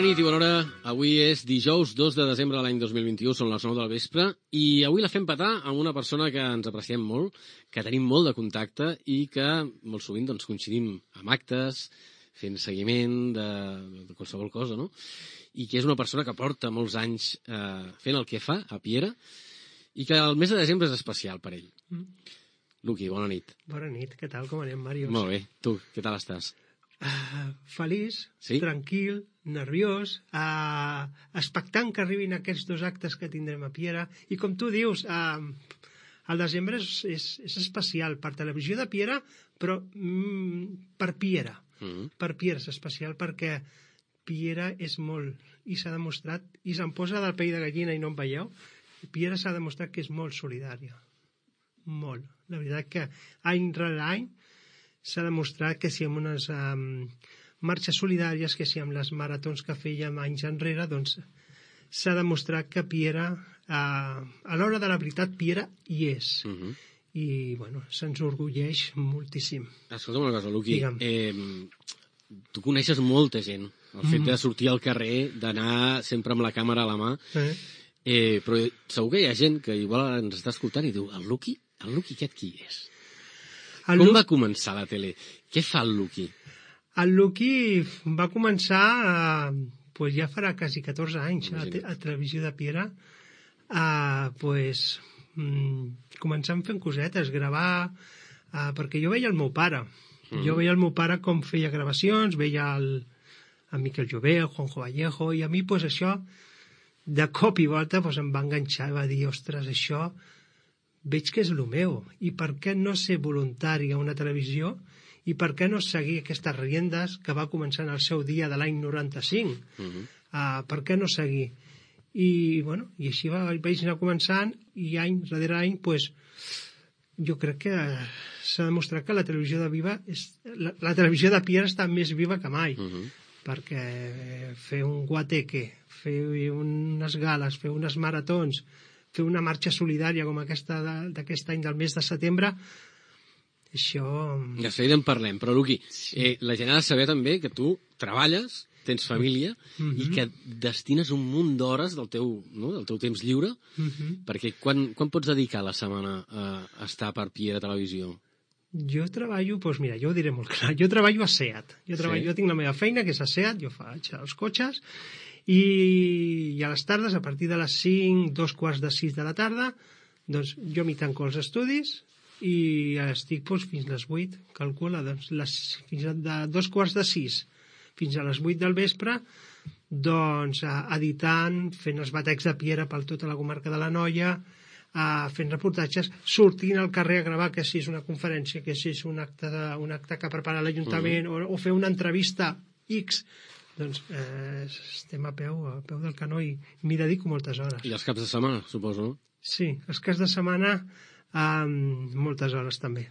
Bona nit i bona hora. Avui és dijous 2 de desembre de l'any 2021, són les 9 del vespre, i avui la fem petar amb una persona que ens apreciem molt, que tenim molt de contacte i que molt sovint doncs, coincidim amb actes, fent seguiment de qualsevol cosa, no? I que és una persona que porta molts anys fent el que fa a Piera i que el mes de desembre és especial per ell. Luqui, bona nit. Bona nit, què tal? Com anem, Màrius? Molt bé. Tu, què tal estàs? Feliç, sí? Tranquil, nerviós, expectant que arribin aquests dos actes que tindrem a Piera. I com tu dius, el desembre és especial per Televisió de Piera, però per Piera. Per Piera és especial perquè Piera és molt, i s'ha demostrat, i se'm posa del pell de gallina i no em veieu, Piera s'ha demostrat que és molt solidària. Molt. La veritat que any rere any s'ha demostrat que si amb unes marxes solidàries, que si amb les maratons que fèiem anys enrere, doncs s'ha demostrat que Piera, a l'hora de la veritat, Piera hi és. I, bueno, se'ns orgulleix moltíssim. Escolta'm una cosa, Luqui. Tu coneixes molta gent. El fet de sortir al carrer, d'anar sempre amb la càmera a la mà. Però segur que hi ha gent que igual ens està escoltant i diu, el Luqui aquest qui és? Com va començar la tele? Què fa el Luqui? El Luqui va començar, ja farà quasi 14 anys, a Televisió de Piera, començant fent cosetes, gravar, perquè jo veia el meu pare. Jo veia el meu pare com feia gravacions, veia el Miquel Jové, el Juanjo Vallejo, i a mi això, de cop i volta, em va enganxar i va dir, ostres, això veig que és el meu, i per què no ser voluntari a una televisió i per què no seguir aquestes riendes que va començar en el seu dia de l'any 95? Per què no seguir? I així vaig anar començant, i any darrere any jo crec que s'ha demostrat que la televisió la televisió de Piera està més viva que mai, perquè fer un guateque, fer unes gales, fer unes maratons, fer una marxa solidària com aquesta d'aquest any del mes de setembre, això... De seguida en parlem, però Luqui, la gent ha de saber també que tu treballes, tens família, i que destines un munt d'hores del teu temps lliure, perquè quan pots dedicar la setmana a estar per Piera Televisió? Jo treballo, mira, jo ho diré molt clar, jo treballo a SEAT. Jo tinc la meva feina, que és a SEAT, jo faig els cotxes, i a les tardes, a partir de les 5, 5:45 de la tarda, doncs jo m'hi tanco els estudis i estic fins les 8, calcula, doncs fins de 5:45 fins a les 8 del vespre, doncs editant, fent els batecs de Piera per tota la comarca de l'Anoia, fent reportatges, sortint al carrer a gravar, que si és una conferència, que si és un acte que prepara l'Ajuntament, o fer una entrevista X, doncs estem a peu del canó i m'hi dedico moltes hores. I els caps de setmana, suposo, no? Sí, els caps de setmana moltes hores també.